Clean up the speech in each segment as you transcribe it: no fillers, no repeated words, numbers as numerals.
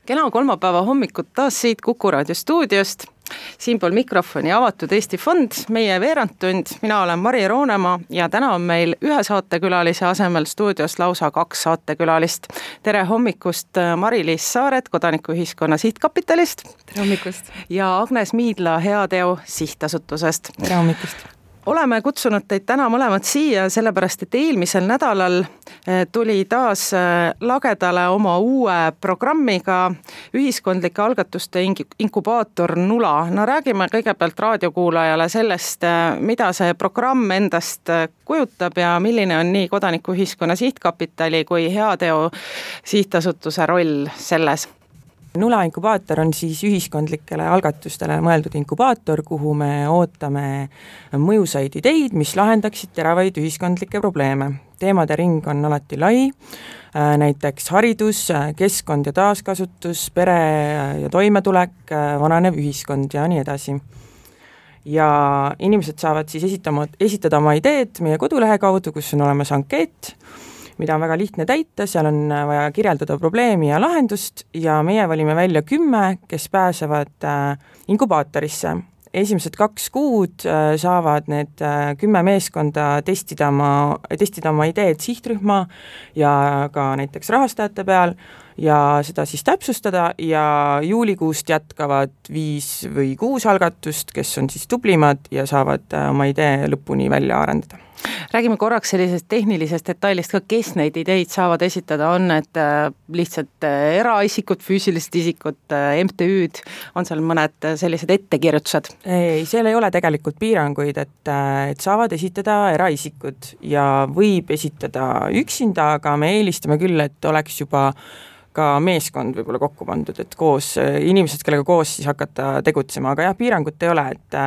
Kena kolmapäeva hommikut taas siit Kuku Raadio stuudiost. Siinpool mikrofoni avatud Eesti Fond, meie veerandtund. Mina olen Mari Roonemaa ja täna on meil ühe saatekülalise asemel stuudios lausa 2 saatekülalist. Tere hommikust Mari-Liis Saaret Kodanikuühiskonna Sihtkapitalist. Tere hommikust. Ja Agnes Miidla Heateo Sihtasutusest. Tere hommikust. Oleme kutsunud teid täna mõlemad siia, sellepärast et eelmisel nädalal tuli taas lagedale oma uue programmiga ühiskondlike algatuste inkubaator Nula. No räägime kõigepealt raadiokuulajale sellest, mida see programm endast kujutab ja milline on nii Kodanikuühiskonna Sihtkapitali kui Heateo Sihtasutuse roll selles. Nula inkubaator on siis ühiskondlikele algatustele mõeldud inkubaator, kuhu me ootame mõjusaid ideid, mis lahendaksid teravaid ühiskondlikke probleeme. Teemade ring on alati lai, näiteks haridus, keskkond ja taaskasutus, pere ja toimetulek, vananev ühiskond ja nii edasi. Ja inimesed saavad siis esitada oma ideed meie kodulehe kaudu, kus on olemas ankeet, mida on väga lihtne täita, seal on vaja kirjeldada probleemi ja lahendust ja meie valime välja 10, kes pääsevad inkubaatorisse. Esimesed 2 kuud saavad need 10 meeskonda testida oma ideed sihtrühma ja ka näiteks rahastajate peal ja seda siis täpsustada ja juulikuust jätkavad 5 või 6 algatust, kes on siis tublimad ja saavad oma idee lõpuni välja arendada. Räägime korraks sellisest tehnilisest detailist ka, kes neid ideid saavad esitada, on need lihtsalt eraisikud, füüsilised isikud, MTÜ-d, on seal mõned sellised ettekirjutused? Ei, seal ei ole tegelikult piiranguid, et saavad esitada eraisikud ja võib esitada üksinda, aga me eelistame küll, et oleks juba ka meeskond võib-olla kokku pandud, et koos inimesed, kellega koos siis hakata tegutsema, aga jah, piirangut ei ole, et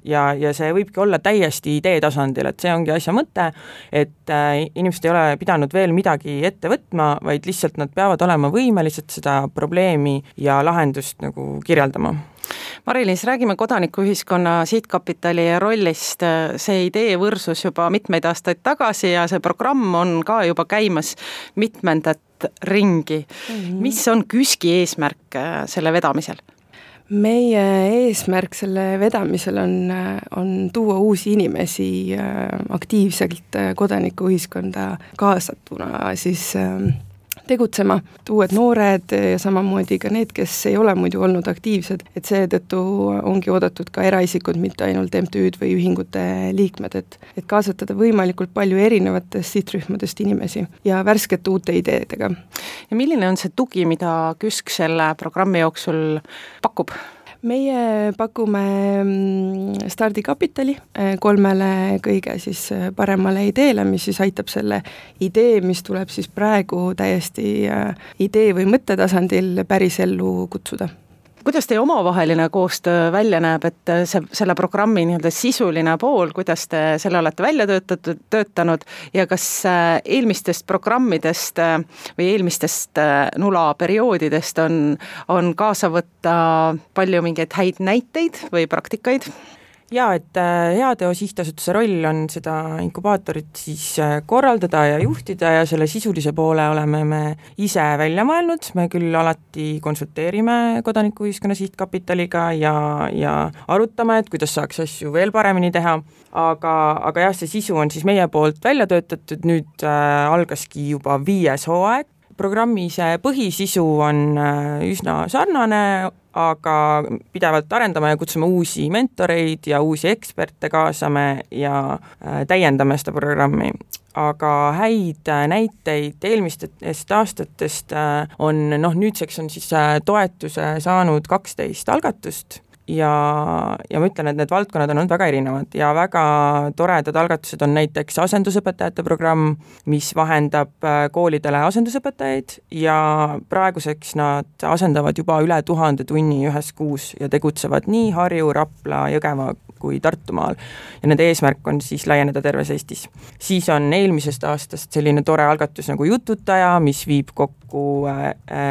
ja see võibki olla täiesti idee tasandil, et see ongi asja mõte, et inimesed ei ole pidanud veel midagi ette võtma, vaid lihtsalt nad peavad olema võimelised seda probleemi ja lahendust nagu kirjeldama. Mari-Liis, räägime Kodanikuühiskonna Sihtkapitali rollist. See idee võrsus juba mitmeid aastaid tagasi ja see programm on ka juba käimas mitmendat ringi. Mis on KÜSK-i eesmärk selle vedamisel? Meie eesmärk selle vedamisel on tuua uusi inimesi aktiivselt kodanikuühiskonda kaasatuna siis tegutsema, uued noored ja samamoodi ka need, kes ei ole muidu olnud aktiivsed, et seetõttu ongi oodatud ka eraisikud, mitte ainult MTÜ-d või ühingute liikmed, et kaasatada võimalikult palju erinevatest sihtrühmadest inimesi ja värskete uute ideedega. Ja milline on see tugi, mida KÜSK selle programmi jooksul pakub? Meie pakume stardikapitali 3 kõige siis paremale ideele, mis siis aitab selle idee, mis tuleb siis praegu täiesti idee või mõttetasandil päris ellu kutsuda. Kuidas teie omavaheline koostöö välja näeb, et selle programmi sisuline pool, kuidas te selle olete välja töötanud ja kas eelmistest programmidest või eelmistest Nula perioodidest on kaasa võtta palju mingeid häid näiteid või praktikaid? Jaa, et Heateo Sihtasutuse roll on seda inkubaatorit siis korraldada ja juhtida ja selle sisulise poole oleme me ise välja mõelnud. Me küll alati konsulteerime Kodanikuühiskonna Sihtkapitaliga ja arutame, et kuidas saaks asju veel paremini teha, aga jah, see sisu on siis meie poolt välja töötatud, nüüd algaski juba 5. hooaeg. Programmi see põhisisu on üsna sarnane, aga pidevalt arendame ja kutsume uusi mentoreid ja uusi eksperte kaasame ja täiendame seda programmi. Aga häid näiteid eelmistest aastatest on, nüüdseks on siis toetuse saanud 12 algatust ja ma ütlen, et need valdkonnad on olnud väga erinevad ja väga toredad algatused on näiteks asendusõpetajate programm, mis vahendab koolidele asendusõpetajaid ja praeguseks nad asendavad juba üle 1000 tunni ühes kuus ja tegutsevad nii Harju, Rapla, Jõgeva kui Tartumaal ja nende eesmärk on siis laieneda terves Eestis. Siis on eelmisest aastast selline tore algatus nagu Jututaja, mis viib kokku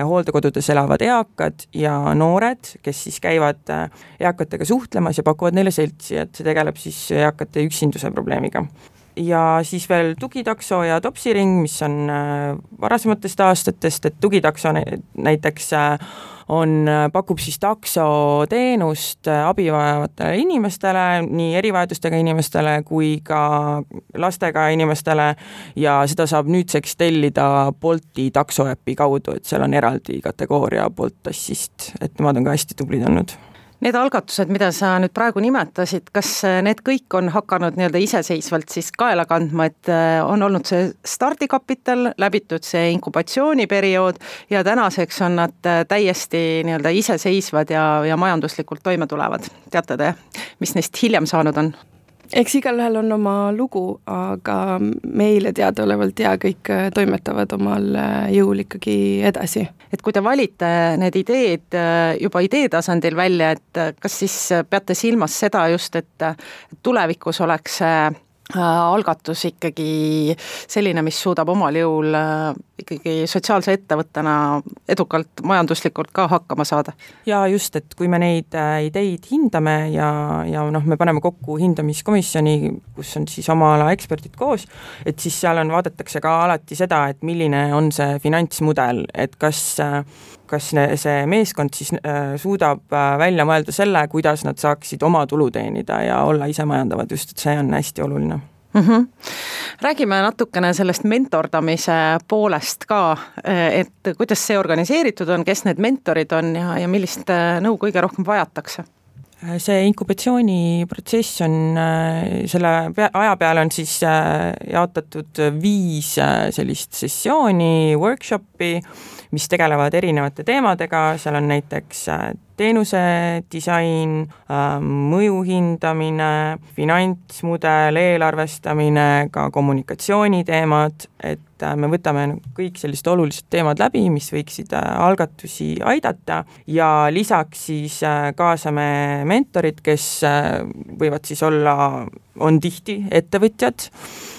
hooldekodudes elavad eakad ja noored, kes siis käivad eakatega suhtlemas ja pakuvad neile seltsi, et see tegeleb siis eakate üksinduse probleemiga. Ja siis veel tugitakso ja topsiring, mis on varasematest aastatest, et tugitakso näiteks pakub siis taksoteenust abivajavatele inimestele, nii erivajadustega inimestele kui ka lastega inimestele ja seda saab nüüdseks tellida Bolti taksoäpi kaudu, et seal on eraldi kategooria Bolt tassist, et nemad on ka hästi tublid olnud. Need algatused, mida sa nüüd praegu nimetasid, kas need kõik on hakanud nii-öelda iseseisvalt siis kaela kandma, et on olnud see stardikapital, läbitud see inkubatsiooniperiood ja tänaseks on nad täiesti nii-öelda iseseisvad ja majanduslikult toime tulevad? Teate te, mis neist hiljem saanud on? Eks igalühel on oma lugu, aga meile teadaolevalt kõik toimetavad omal jõul ikkagi edasi. Et kui te valite need ideed juba idee tasandil välja, et kas siis peate silmas seda just, et tulevikus oleks algatus ikkagi selline, mis suudab omal jõul ikkagi sotsiaalse ettevõttena edukalt majanduslikult ka hakkama saada? Ja just, et kui me neid ideid hindame ja me paneme kokku hindamiskomisjoni, kus on siis oma ala eksperdid koos, et siis seal vaadatakse ka alati seda, et milline on see finantsmudel, et kas see meeskond siis suudab välja mõelda selle, kuidas nad saaksid oma tulu teenida ja olla ise majandavad, just et see on hästi oluline. Räägime natukene sellest mentordamise poolest ka, et kuidas see organiseeritud on, kes need mentorid on ja millist nõu kõige rohkem vajatakse? See inkubatsiooniprotsess on, selle aja peale on siis jaotatud 5 sellist sessiooni, workshopi, mis tegelevad erinevate teemadega, seal on näiteks teenuse disain, mõju hindamine, finantsmudel, eelarvestamine, ka kommunikatsiooniteemad, et me võtame kõik sellised olulised teemad läbi, mis võiksid algatusi aidata ja lisaks siis kaasame mentorid, kes võivad siis on tihti ettevõtjad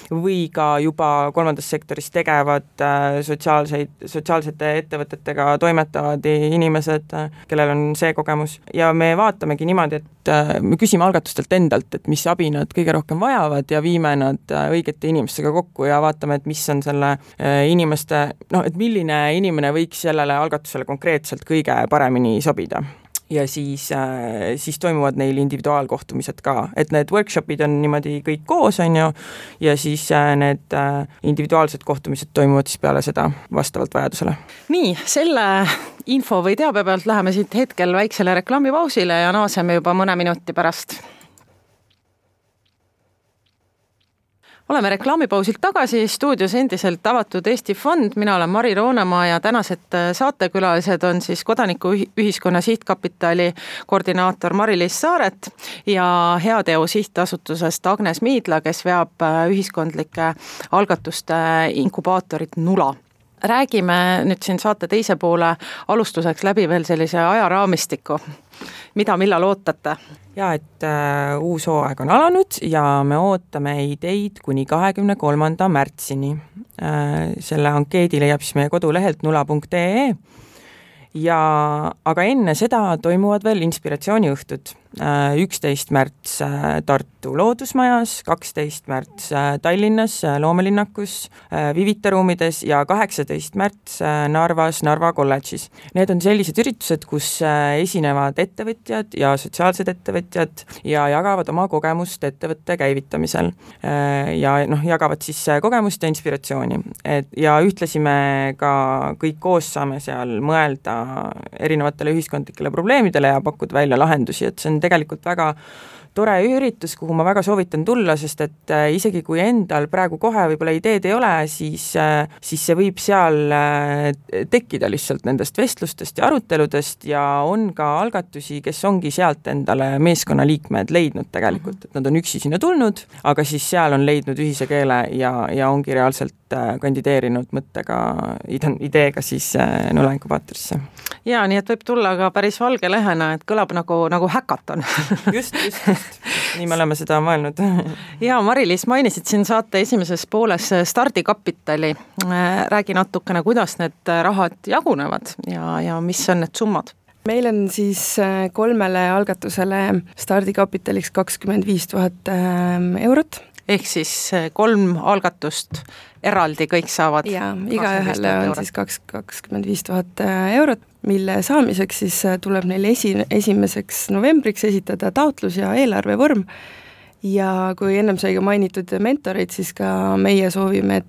või ka juba kolmandas sektoris tegevad sotsiaalsete ettevõtetega toimetavad inimesed, kellel on see kogemus ja me vaatamegi niimoodi, et me küsime algatustelt endalt, et mis abi nad kõige rohkem vajavad ja viime nad õigete inimestega kokku ja vaatame, et mis on selle inimeste, et milline inimene võiks sellele algatusele konkreetselt kõige paremini sobida. Ja siis toimuvad neil individuaalkohtumised ka, et need workshopid on niimoodi kõik koos, on ju, ja siis need individuaalsed kohtumised toimuvad siis peale seda vastavalt vajadusele. Nii, selle info või teabe pealt läheme siit hetkel väiksele reklaamipausile ja naaseme juba mõne minuti pärast. Oleme reklaamipausilt tagasi, stuudios endiselt avatud Eesti Fond, mina olen Mari Roonemaa ja tänased saatekülalised on siis Kodanikuühiskonna Sihtkapitali koordinaator Mari-Liis Saaret ja Heateo sihtasutusest Agnes Miidla, kes veab ühiskondlike algatuste inkubaatorit Nula. Räägime nüüd siin saate teise poole alustuseks läbi veel sellise ajaraamistiku. Mida millal ootate? Ja, et uus hooaeg on alanud ja me ootame ideid kuni 23. märtsini. Selle ankeedi leiab siis meie kodulehelt nula.ee aga enne seda toimuvad veel inspiratsiooniõhtud. 11. märts Tartu Loodusmajas, 12. märts Tallinnas Loomelinnakus, Vivita ruumides ja 18. märts Narvas Narva kolledžis. Need on sellised üritused, kus esinevad ettevõtjad ja sotsiaalsed ettevõtjad ja jagavad oma kogemust ettevõtte käivitamisel ja jagavad siis kogemust ja inspiratsiooni. Ja ühtlasi me ka kõik koos saame seal mõelda erinevatele ühiskondlikele probleemidele ja pakkuda välja lahendusi, et see on tegelikult väga tore üritus, kuhu ma väga soovitan tulla, sest et isegi kui endal praegu kohe võib-olla ideed ei ole, siis see võib seal tekkida lihtsalt nendest vestlustest ja aruteludest ja on ka algatusi, kes ongi sealt endale meeskonnaliikmed leidnud tegelikult, et nad on üksi sinna tulnud, aga siis seal on leidnud ühise keele ja ongi reaalselt kandideerinud mõttega, ideega siis Nula inkubaatorisse. Ja, nii et võib tulla ka päris valge lehena, et kõlab nagu häkaton. Just. Nii me oleme seda mõelnud. Ja, Mari-Liis, mainisid siin saate esimeses pooles stardikapitali. Räägi natukene, kuidas need rahad jagunevad ja mis on need summad? Meil on siis 3 algatusele stardikapitaliks 25 000 eurot ehk siis 3 algatust eraldi kõik saavad. Jaa, igaühele on siis 25 000 eurot, mille saamiseks siis tuleb neil 1. novembriks esitada taotlus ja eelarvevorm. Ja kui ennem sai ka mainitud mentoreid, siis ka meie soovime,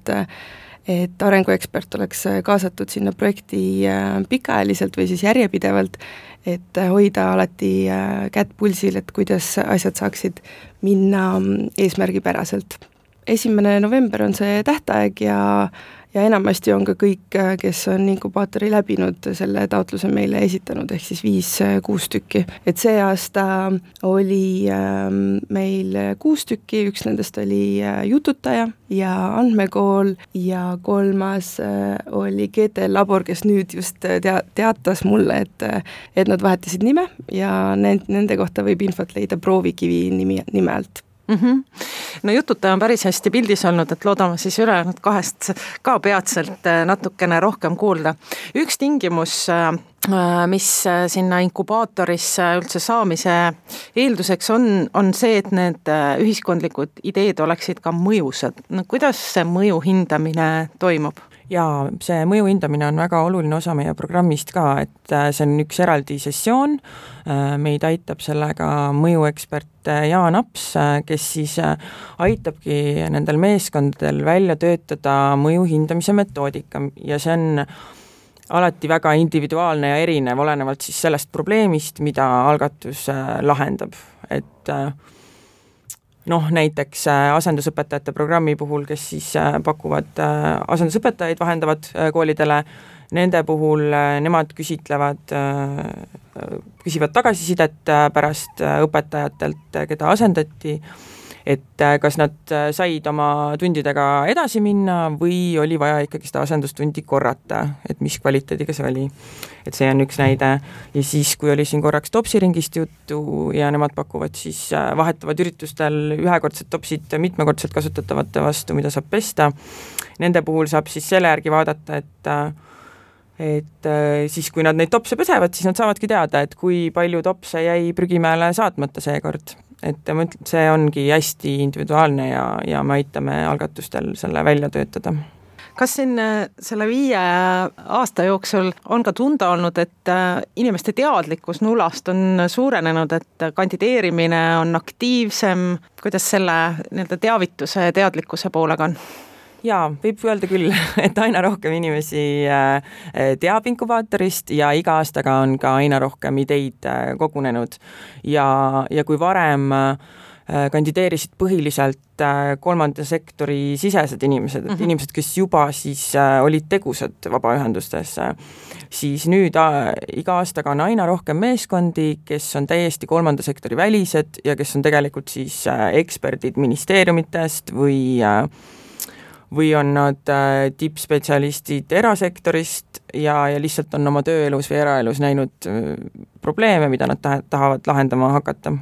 et arenguekspert oleks kaasatud sinna projekti pikaajaliselt või siis järjepidevalt, et hoida alati kätt pulsil, et kuidas asjad saaksid minna eesmärgipäraselt. 1. november on see tähtaeg ja enamasti on ka kõik, kes on inkubaatori läbinud, selle taotluse meile esitanud, ehk siis 5-6 tükki. Et see aasta oli meil 6 tükki, üks nendest oli Jututaja ja Andmekool ja 3. oli GTL Labor, kes nüüd just teatas mulle, et nad vahetasid nime ja nende kohta võib infot leida Proovikivi nime alt. No Jututaja on päris hästi pildis olnud, et loodame siis ülejäänud 2 ka peatselt natukene rohkem kuulda. Üks tingimus, mis sinna inkubaatorisse üldse saamise eelduseks on see, et need ühiskondlikud ideed oleksid ka mõjusad. No, kuidas see mõju hindamine toimub? Jaa, see mõju hindamine on väga oluline osa meie programmist ka, et see on üks eraldi sessioon, meid aitab sellega mõjuekspert Jaan Aps, kes siis aitabki nendel meeskondadel välja töötada mõju hindamise metoodika ja see on alati väga individuaalne ja erinev, olenevalt siis sellest probleemist, mida algatus lahendab, et näiteks asendusõpetajate programmi puhul, kes siis pakuvad asendusõpetajaid, vahendavad koolidele, nende puhul nemad küsivad tagasisidet pärast õpetajatelt, keda asendati, et kas nad said oma tundidega edasi minna või oli vaja ikkagi seda asendustundi korrata, et mis kvaliteediga see oli. Et see on üks näide. Ja siis, kui oli siin korraks topsiringist juttu ja nemad pakuvad siis vahetavad üritustel ühekordsed topsid mitmekordselt kasutatavate vastu, mida saab pesta. Nende puhul saab siis selle järgi vaadata, et siis kui nad neid topse pesevad, siis nad saavadki teada, et kui palju topse jäi prügimäele saatmata seekord. Et see ongi hästi individuaalne ja me aitame algatustel selle välja töötada. Kas siin selle 5 aasta jooksul on ka tunda olnud, et inimeste teadlikkus nulast on suurenenud, et kandideerimine on aktiivsem, kuidas selle teavituse ja teadlikkuse poolega on? Jaa, võib öelda küll, et aina rohkem inimesi teab inkubaatorist ja iga aastaga on ka aina rohkem ideid kogunenud ja kui varem kandideerisid põhiliselt 3. sektori sisesed inimesed, et inimesed, kes juba siis olid tegusad vabaühendustes, siis nüüd iga aastaga on aina rohkem meeskondi, kes on täiesti 3. sektori välised ja kes on tegelikult siis eksperdid ministeeriumitest või on nad tippspetsialistid erasektorist ja lihtsalt on oma tööelus või eraelus näinud probleeme, mida nad tahavad lahendama hakata.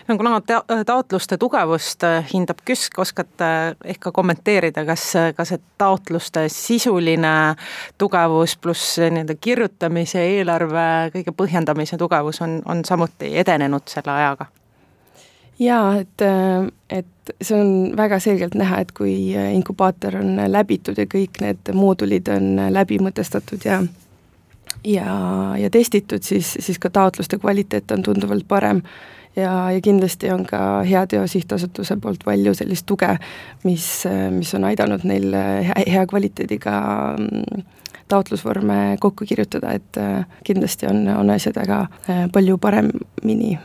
No, kuna taotluste tugevust hindab KÜSK, oskate ehk ka kommenteerida, kas see taotluste sisuline tugevus pluss kirjutamise, eelarve, kõige põhjendamise tugevus on samuti edenenud selle ajaga? Jaa, et see on väga selgelt näha, et kui inkubaator on läbitud ja kõik need moodulid on läbi mõtestatud ja testitud, siis ka taotluste kvaliteet on tunduvalt parem ja kindlasti on ka Heateo sihtasutuse poolt palju sellist tuge, mis on aidanud neil hea kvaliteediga taotlusvorme kokku kirjutada, et kindlasti on asjad väga palju paremini.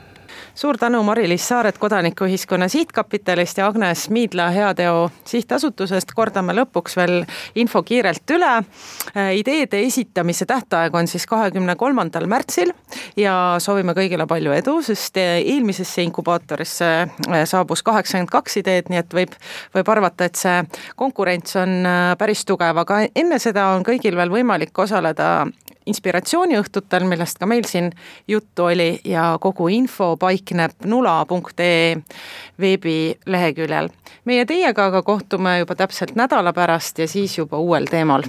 Suur tänu Mari-Liis Saaret Kodanikuühiskonna Sihtkapitalist ja Agnes Miidla Heateo sihtasutusest. Kordame lõpuks veel info kiirelt üle. Ideede esitamise tähtaeg on siis 23. märtsil ja soovime kõigile palju edu, sest eelmisesse inkubaatorisse saabus 82 ideed, nii et võib arvata, et see konkurents on päris tugev, aga enne seda on kõigil veel võimalik osaleda inspiratsiooniõhtutel, millest ka meil siin juttu oli ja kogu info paikneb nula.ee veebileheküljel. Meie teiega aga kohtume juba täpselt nädala pärast ja siis juba uuel teemal.